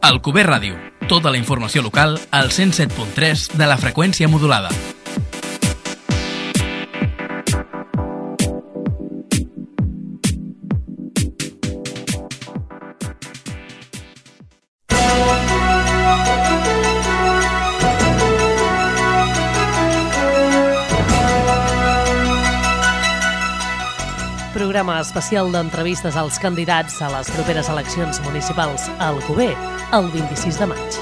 Alcover Ràdio. Tota la informació local al 107.3 de la freqüència modulada. Programa especial d'entrevistes als candidats a les properes eleccions municipals a Alcover, el 26 de maig.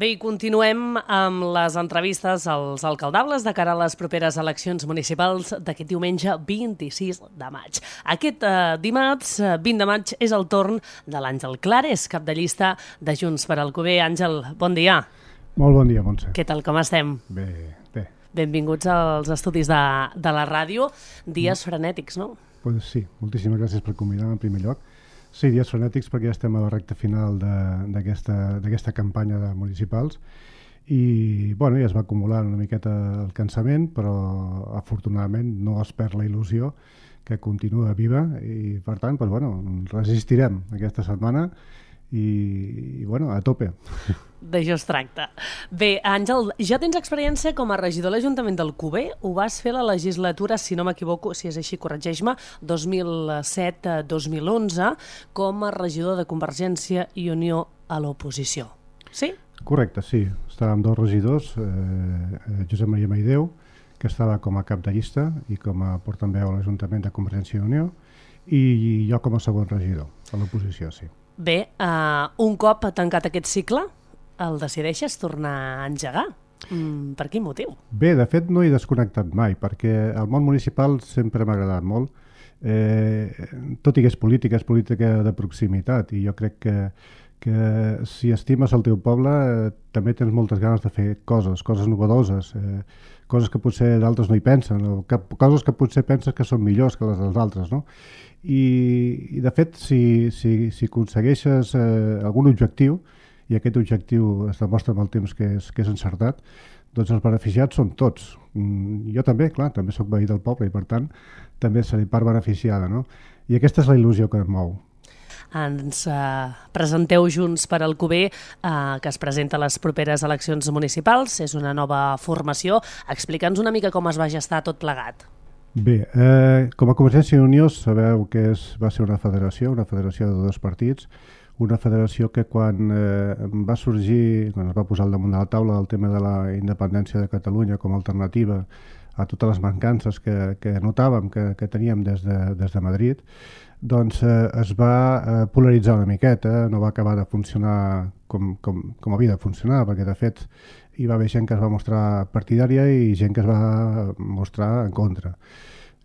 Bé, i continuem amb les entrevistes als alcaldables de cara a les properes eleccions municipals d'aquest diumenge 26 de maig. Aquest dimarts, 20 de maig, és el torn de l'Àngel Clares, cap de llista de Junts per Alcover. Àngel, bon dia. Molt bon dia, Montse. Què tal, com estem? Bé, bé. Benvinguts als estudis de la ràdio. Dies frenètics, no? Pues sí, moltíssimes gràcies per convidar-me en primer lloc. Sí, dies frenètics perquè ja estem a la recta final d'aquesta campanya de municipals i bueno, ja es va acumular una miqueta el cansament, però afortunadament no es perd la il·lusió, que continua viva i per tant pues, bueno, resistirem aquesta setmana i bueno, a tope. D'això es tracta. Bé, Àngel, ja tens experiència com a regidor de l'Ajuntament d'Alcover. Ho vas fer a la legislatura, si no m'equivoco, si és així, corregeix-me, 2007-2011, com a regidor de Convergència i Unió a l'oposició. Sí? Correcte, sí. Estàvem dos regidors, Josep Maria Maideu, que estava com a cap de llista i com a portaveu a l'Ajuntament de Convergència i Unió, i jo com a segon regidor a l'oposició, sí. Bé, un cop tancat aquest cicle, el decideixes tornar a engegar. Per quin motiu? Bé, de fet no he desconnectat mai, perquè el món municipal sempre m'ha agradat molt. Tot i que és política de proximitat, i jo crec que si estimes el teu poble també tens moltes ganes de fer coses novedoses, coses que potser d'altres no hi pensen, o coses que potser penses que són millors que les dels altres, no? I de fet, si aconsegueixes algun objectiu, i aquest objectiu es demostra amb el temps que és encertat, doncs els beneficiats són tots. Jo també, clar, també soc veí del poble i per tant també seré part beneficiada, no? I aquesta és la il·lusió que em mou. Ens presenteu Junts per Alcover, que es presenta a les properes eleccions municipals. És una nova formació. Explica'ns una mica com es va gestar tot plegat. Bé, com a Convergència i Unió sabeu que va ser una federació de dos partits, una federació que quan va sorgir, quan es va posar al damunt de la taula el tema de la independència de Catalunya com a alternativa a totes les mancances que notàvem que teníem des de Madrid, doncs es va polaritzar una miqueta, no va acabar de funcionar com havia de funcionar, perquè de fet hi va haver gent que es va mostrar partidària i gent que es va mostrar en contra.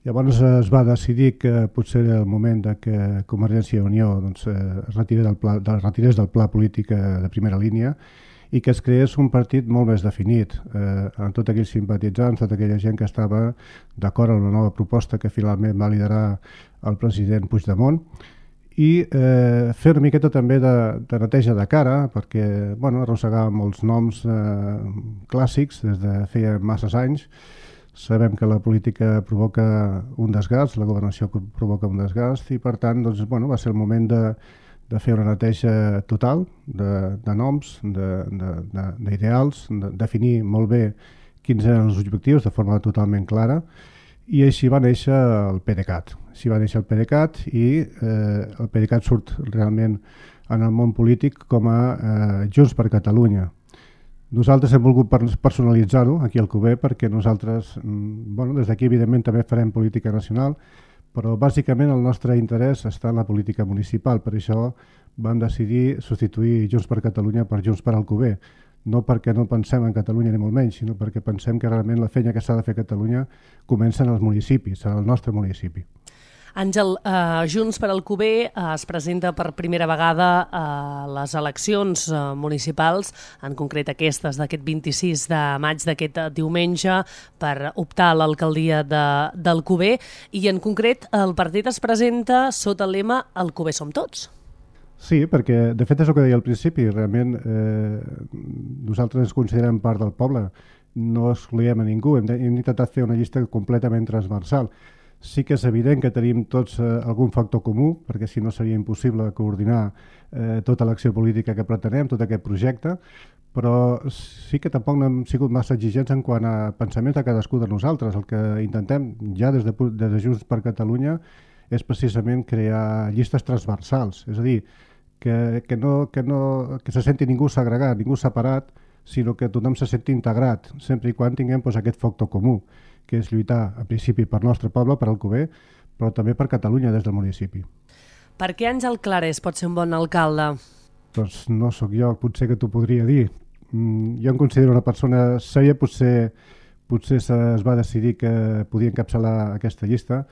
Llavors es va decidir que potser era el moment de que Convergència i Unió es retirés del pla polític de primera línia i que es creés un partit molt més definit, amb tots aquells simpatitzants, tota aquella gent que estava d'acord amb una nova proposta que finalment va liderar el president Puigdemont, i fer una miqueta també de neteja de cara, perquè arrossegàvem molts noms clàssics des de feia masses anys. Sabem que la política provoca un desgast, la governació provoca un desgast, i per tant va ser el moment de fer una neteja total de noms, d'ideals, de definir molt bé quins eren els objectius de forma totalment clara, i així va néixer el PDeCAT. I el PDeCAT surt realment en el món polític com a Junts per Catalunya. Nosaltres hem volgut personalitzar-ho aquí al Alcover perquè nosaltres, des d'aquí evidentment també farem política nacional, però bàsicament el nostre interès està en la política municipal. Per això vam decidir substituir Junts per Catalunya per Junts per Alcover. No perquè no pensem en Catalunya ni molt menys, sinó perquè pensem que realment la feina que s'ha de fer a Catalunya comença en els municipis, en el nostre municipi. Àngel, Junts per Alcover es presenta per primera vegada a les eleccions municipals, en concret aquestes d'aquest 26 de maig, d'aquest diumenge, per optar a l'alcaldia d'Alcover, i en concret el partit es presenta sota el lema Alcover som tots. Sí, perquè de fet és el que deia al principi, realment nosaltres ens considerem part del poble, no excloem a ningú, hem intentat fer una llista completament transversal. Sí que és evident que tenim tots algun factor comú, perquè si no seria impossible coordinar tota l'acció política que pretenem, tot aquest projecte, però sí que tampoc no hem sigut massa exigents en quant a pensaments de cadascú de nosaltres. El que intentem ja des de Junts per Catalunya és precisament crear llistes transversals, és a dir, que se senti ningú segregat, ningú separat, sinó que tothom se senti integrat, sempre i quan tinguem aquest factor comú, que és lluitar, a principi, per nostre poble, per Alcover, però també per Catalunya des del municipi. Per què Àngel Clarés pot ser un bon alcalde? Doncs no sóc jo, potser que t'ho podria dir. Jo em considero una persona sèria, potser es va decidir que podia encapçalar aquesta llista,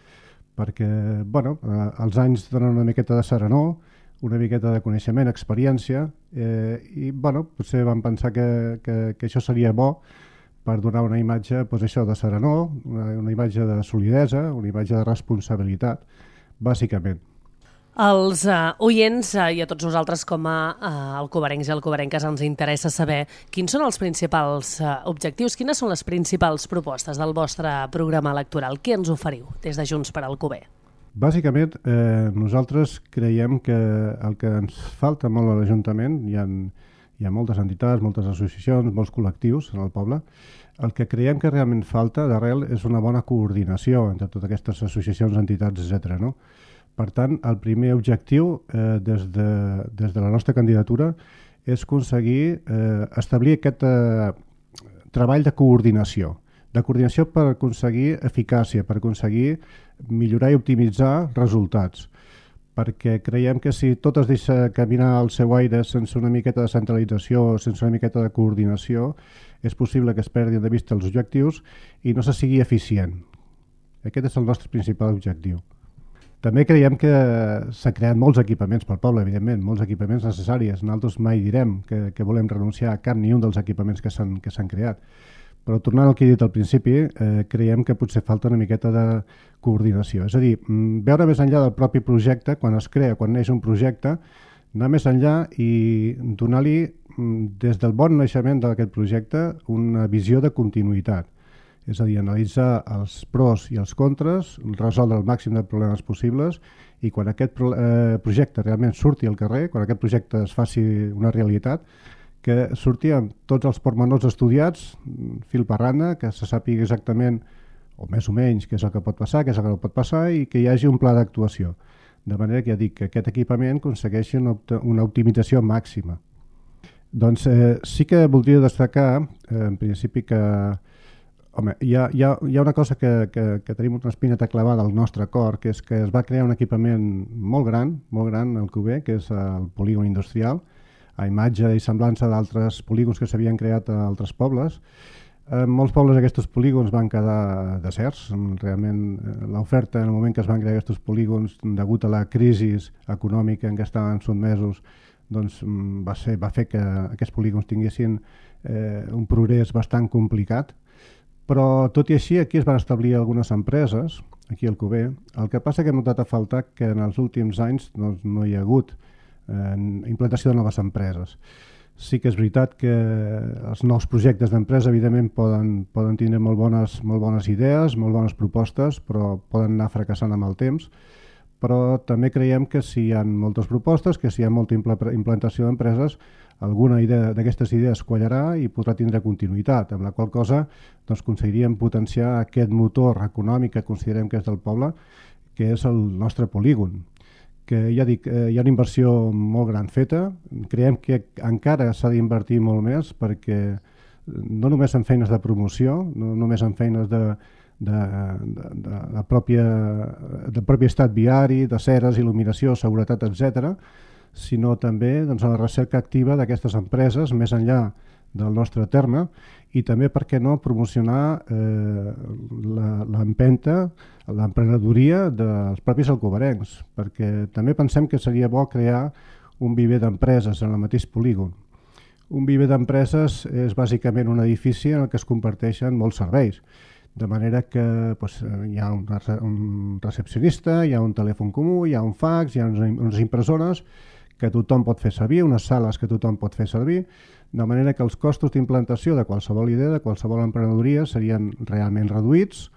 perquè els anys donen una miqueta de serenor, una miqueta de coneixement, experiència, i potser vam pensar que això seria bo per donar una imatge de serenor, una imatge de solidesa, una imatge de responsabilitat, bàsicament. Els oients i a tots nosaltres com a alcoverencs i alcoverenques ens interessa saber quins són els principals objectius, quines són les principals propostes del vostre programa electoral. Què ens oferiu des de Junts per Alcover? Bàsicament, nosaltres creiem que el que ens falta molt a l'Ajuntament, hi ha moltes entitats, moltes associacions, molts col·lectius en el poble, el que creiem que realment falta d'arrel és una bona coordinació entre totes aquestes associacions, entitats, etc. No? Per tant, el primer objectiu des de la nostra candidatura és aconseguir establir aquest treball de coordinació per aconseguir eficàcia, per aconseguir millorar i optimitzar resultats. Perquè creiem que si tot es deixa caminar al seu aire sense una miqueta de centralització, sense una miqueta de coordinació, és possible que es perdin de vista els objectius i no se sigui eficient. Aquest és el nostre principal objectiu. També creiem que s'ha creat molts equipaments pel poble, evidentment, molts equipaments necessaris. Nosaltres mai direm que volem renunciar a cap ni un dels equipaments que s'han creat. Però tornant al que he dit al principi, creiem que potser falta una miqueta de coordinació. És a dir, veure més enllà del propi projecte, quan es crea, quan neix un projecte, anar més enllà i donar-li, des del bon naixement d'aquest projecte, una visió de continuïtat. És a dir, analitzar els pros i els contres, resoldre el màxim de problemes possibles i quan aquest projecte realment surti al carrer, quan aquest projecte es faci una realitat, que surti amb tots els pormenors estudiats, fil per randa, que se sàpiga exactament, o més o menys, què és el que pot passar, què és el que no pot passar i que hi hagi un pla d'actuació. De manera que ja dic que aquest equipament aconsegueixi una optimització màxima. Doncs sí que voldria destacar, en principi, que home, hi ha una cosa que tenim una espineta clavada al nostre cor, que és que es va crear un equipament molt gran al Alcover, que és el polígon industrial, a imatge i semblança d'altres polígons que s'havien creat a altres pobles. En molts pobles aquests polígons van quedar deserts. Realment l'oferta en el moment que es van crear aquests polígons, degut a la crisi econòmica en què estaven sotmesos, doncs va fer que aquests polígons tinguessin un progrés bastant complicat. Però tot i així aquí es van establir algunes empreses, aquí al Alcover. El que passa que hem notat a faltar que en els últims anys no hi ha hagut implantació de noves empreses. Sí que és veritat que els nous projectes d'empresa evidentment poden tindre molt bones idees, molt bones propostes, però poden anar fracassant amb el temps. Però també creiem que si hi ha moltes propostes, que si hi ha molta implantació d'empreses, alguna d'aquestes idees quallarà i podrà tindre continuïtat, amb la qual cosa aconseguiríem potenciar aquest motor econòmic que considerem que és del poble, que és el nostre polígon. Que ja dic, hi ha una inversió molt gran feta, creiem que encara s'ha d'invertir molt més perquè no només en feines de promoció, no només en feines del propi estat viari, de ceres, il·luminació, seguretat, etc., sinó també en la recerca activa d'aquestes empreses més enllà del nostre terme i també, per què no, promocionar l'empenta, l'emprenedoria dels propis alcoverencs, perquè també pensem que seria bo crear un viver d'empreses en el mateix polígon. Un viver d'empreses és bàsicament un edifici en el que es comparteixen molts serveis, de manera que hi ha un recepcionista, hi ha un telèfon comú, hi ha un fax, hi ha unes impressores que tothom pot fer servir, unes sales que tothom pot fer servir, de manera que els costos d'implantació de qualsevol idea, de qualsevol emprenedoria, serien realment reduïts,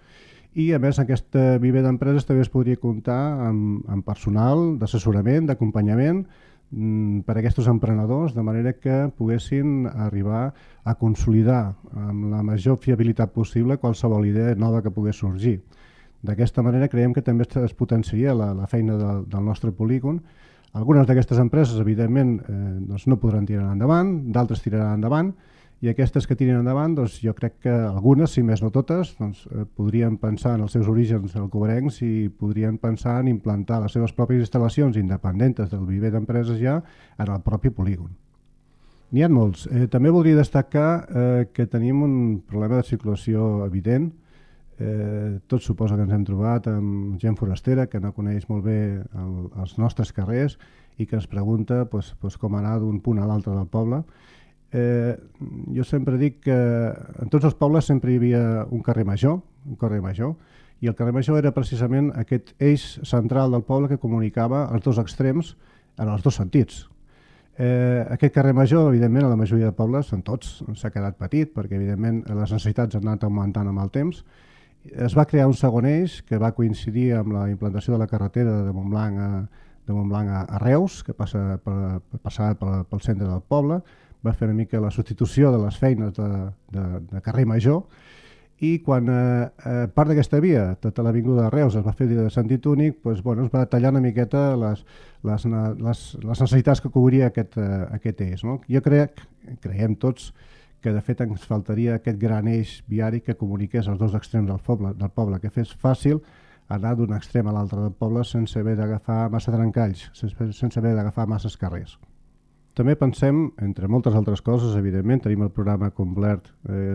i a més aquesta viver d'empreses també es podria comptar amb personal d'assessorament, d'acompanyament per a aquests emprenedors, de manera que poguessin arribar a consolidar amb la major fiabilitat possible qualsevol idea nova que pogués sorgir. D'aquesta manera creiem que també es potenciaria la feina del nostre polígon. Algunes d'aquestes empreses, evidentment, no podran tirar endavant, d'altres tiraran endavant, i aquestes que tiren endavant, jo crec que algunes, si més no totes, podrien pensar en els seus orígens alcobencs i podrien pensar en implantar les seves pròpies instal·lacions independentes del viver d'empreses ja en el propi polígon. N'hi ha molts. També voldria destacar que tenim un problema de circulació evident. Tots suposa que ens hem trobat amb gent forastera que no coneix molt bé els nostres carrers i que ens pregunta com anar d'un punt a l'altre del poble. Jo sempre dic que en tots els pobles sempre hi havia un carrer major, i el carrer major era precisament aquest eix central del poble que comunicava els dos extrems en els dos sentits. Aquest carrer major, evidentment, a la majoria de pobles, en tots, s'ha quedat petit perquè evidentment les necessitats han anat augmentant amb el temps. Es va crear un segon eix que va coincidir amb la implantació de la carretera de Montblanc a Reus, que passava pel centre del poble, va fer una mica la substitució de les feines de carrer major, i quan part d'aquesta via, tota l'avinguda de Reus, es va fer de sentit únic, es va tallar una miqueta les necessitats que cobria aquest eix. Jo creiem tots que de fet ens faltaria aquest gran eix viari que comuniqués els dos extrems del poble, que fes fàcil anar d'un extrem a l'altre del poble sense haver d'agafar massa trencalls, sense haver d'agafar masses carrers. També pensem, entre moltes altres coses, evidentment, tenim el programa complet,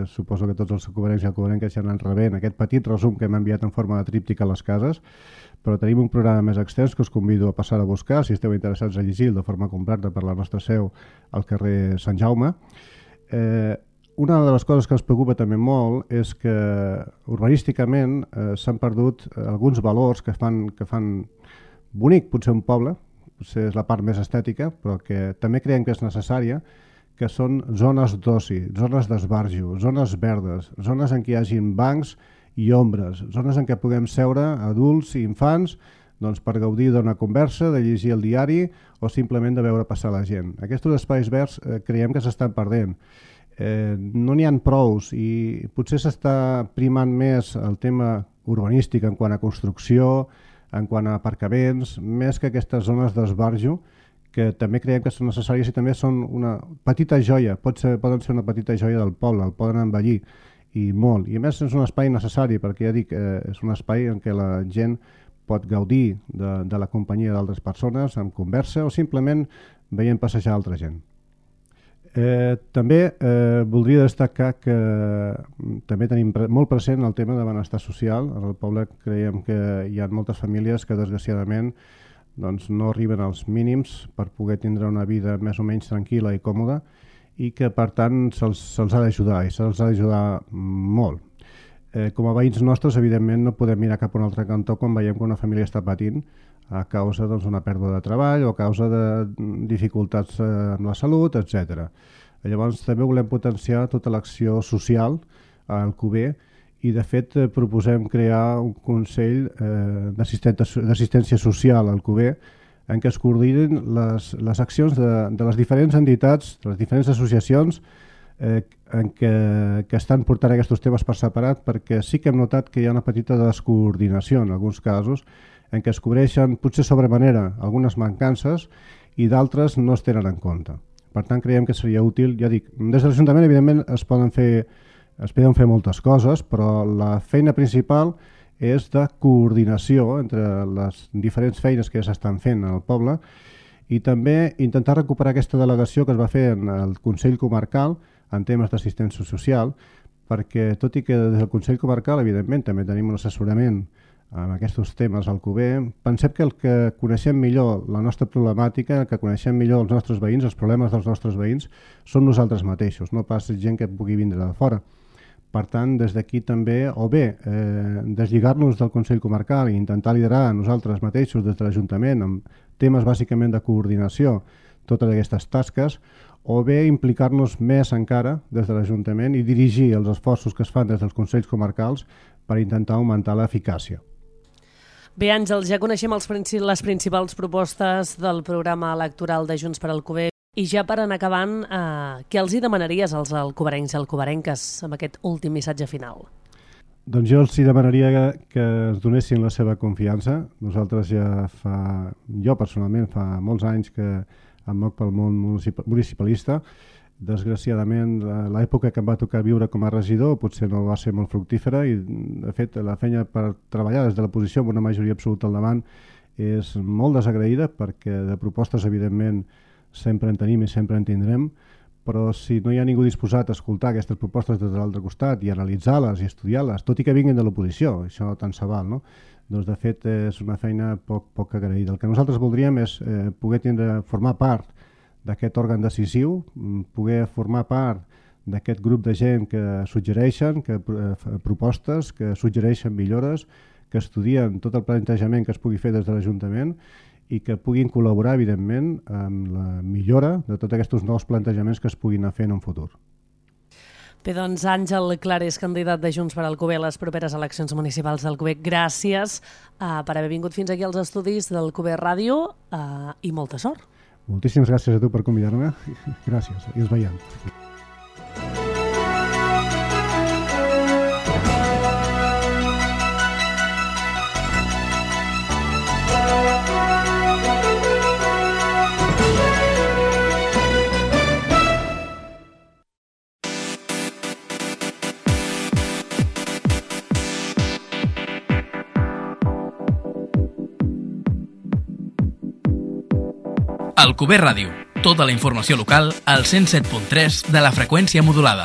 suposo que tots els alcobencs i alcobenques ja n'han rebent aquest petit resum que hem enviat en forma de tríptic a les cases, però tenim un programa més extens que us convido a passar a buscar, si esteu interessats a llegir de forma completa per la nostra seu al carrer Sant Jaume. Una de les coses que ens preocupa també molt és que urbanísticament s'han perdut alguns valors que fan bonic potser un poble, potser és la part més estètica, però que també creiem que és necessària, que són zones d'oci, zones d'esbarjo, zones verdes, zones en què hi hagin bancs i ombres, zones en què puguem seure adults i infants per gaudir d'una conversa, de llegir el diari o simplement de veure passar la gent. Aquests espais verds creiem que s'estan perdent. No n'hi ha prous i potser s'està primant més el tema urbanístic en quant a construcció, en quant a aparcaments, més que aquestes zones d'esbarjo, que també creiem que són necessàries i també són una petita joia, poden ser una petita joia del poble, el poden embellir i molt. I a més és un espai necessari, perquè ja dic, és un espai en què la gent pot gaudir de la companyia d'altres persones, amb conversa o simplement veient passejar altra gent. També voldria destacar que també tenim molt present el tema de benestar social. En el poble creiem que hi ha moltes famílies que desgraciadament no arriben als mínims per poder tindre una vida més o menys tranquil·la i còmoda i que per tant se'ls ha d'ajudar i se'ls ha d'ajudar molt. Com a veïns nostres evidentment no podem mirar cap a un altre cantó quan veiem que una família està patint a causa d'una pèrdua de treball o a causa de dificultats en la salut, etc. Llavors també volem potenciar tota l'acció social a Alcover i de fet proposem crear un Consell d'Assistència Social a Alcover en què es coordinin les accions de les diferents entitats, de les diferents associacions que estan portant aquests temes per separat, perquè sí que hem notat que hi ha una petita descoordinació en alguns casos en què es cobreixen potser sobremanera algunes mancances i d'altres no es tenen en compte. Per tant, creiem que seria útil, ja dic, des de l'Ajuntament evidentment es poden fer moltes coses, però la feina principal és de coordinació entre les diferents feines que ja s'estan fent al poble i també intentar recuperar aquesta delegació que es va fer en el Consell Comarcal en temes d'assistència social, perquè tot i que des del Consell Comarcal evidentment també tenim un assessorament en aquests temes al Alcover, pensem que el que coneixem millor la nostra problemàtica, el que coneixem millor els nostres veïns, els problemes dels nostres veïns, són nosaltres mateixos, no pas gent que pugui vindre de fora. Per tant, des d'aquí també, o bé deslligar-nos del Consell Comarcal i intentar liderar nosaltres mateixos des de l'Ajuntament amb temes bàsicament de coordinació, totes aquestes tasques, o bé implicar-nos més encara des de l'Ajuntament i dirigir els esforços que es fan des dels Consells Comarcals per intentar augmentar l'eficàcia. Bé, Àngel, ja coneixem les principals propostes del programa electoral de Junts per Alcover i ja per anar acabant, què els hi demanaries als alcoverencs i alcoverenques amb aquest últim missatge final? Doncs jo els demanaria que ens donessin la seva confiança. Nosaltres jo personalment fa molts anys que em moc pel món municipalista. Desgraciadament, l'època que em va tocar viure com a regidor potser no va ser molt fructífera i, de fet, la feina per treballar des de la posició amb una majoria absoluta al davant és molt desagraïda perquè de propostes, evidentment, sempre en tenim i sempre en tindrem, però si no hi ha ningú disposat a escoltar aquestes propostes des de l'altre costat i analitzar-les i estudiar-les, tot i que vinguin de l'oposició, això tant se val, no? Doncs de fet és una feina poc agraïda. El que nosaltres voldríem és poder formar part d'aquest òrgan decisiu, poder formar part d'aquest grup de gent que suggereixen propostes, que suggereixen millores, que estudien tot el plantejament que es pugui fer des de l'Ajuntament i que puguin col·laborar, evidentment, amb la millora de tots aquests nous plantejaments que es puguin anar fent en un futur. Bé, doncs, Àngel Clares, candidat de Junts per Alcover a les properes eleccions municipals d'Alcover, gràcies per haver vingut fins aquí als estudis d'Alcover Ràdio i molta sort. Moltíssimes gràcies a tu per convidar-me. Gràcies, i ens veiem. Alcover Ràdio, tota la informació local al 107.3 de la freqüència modulada.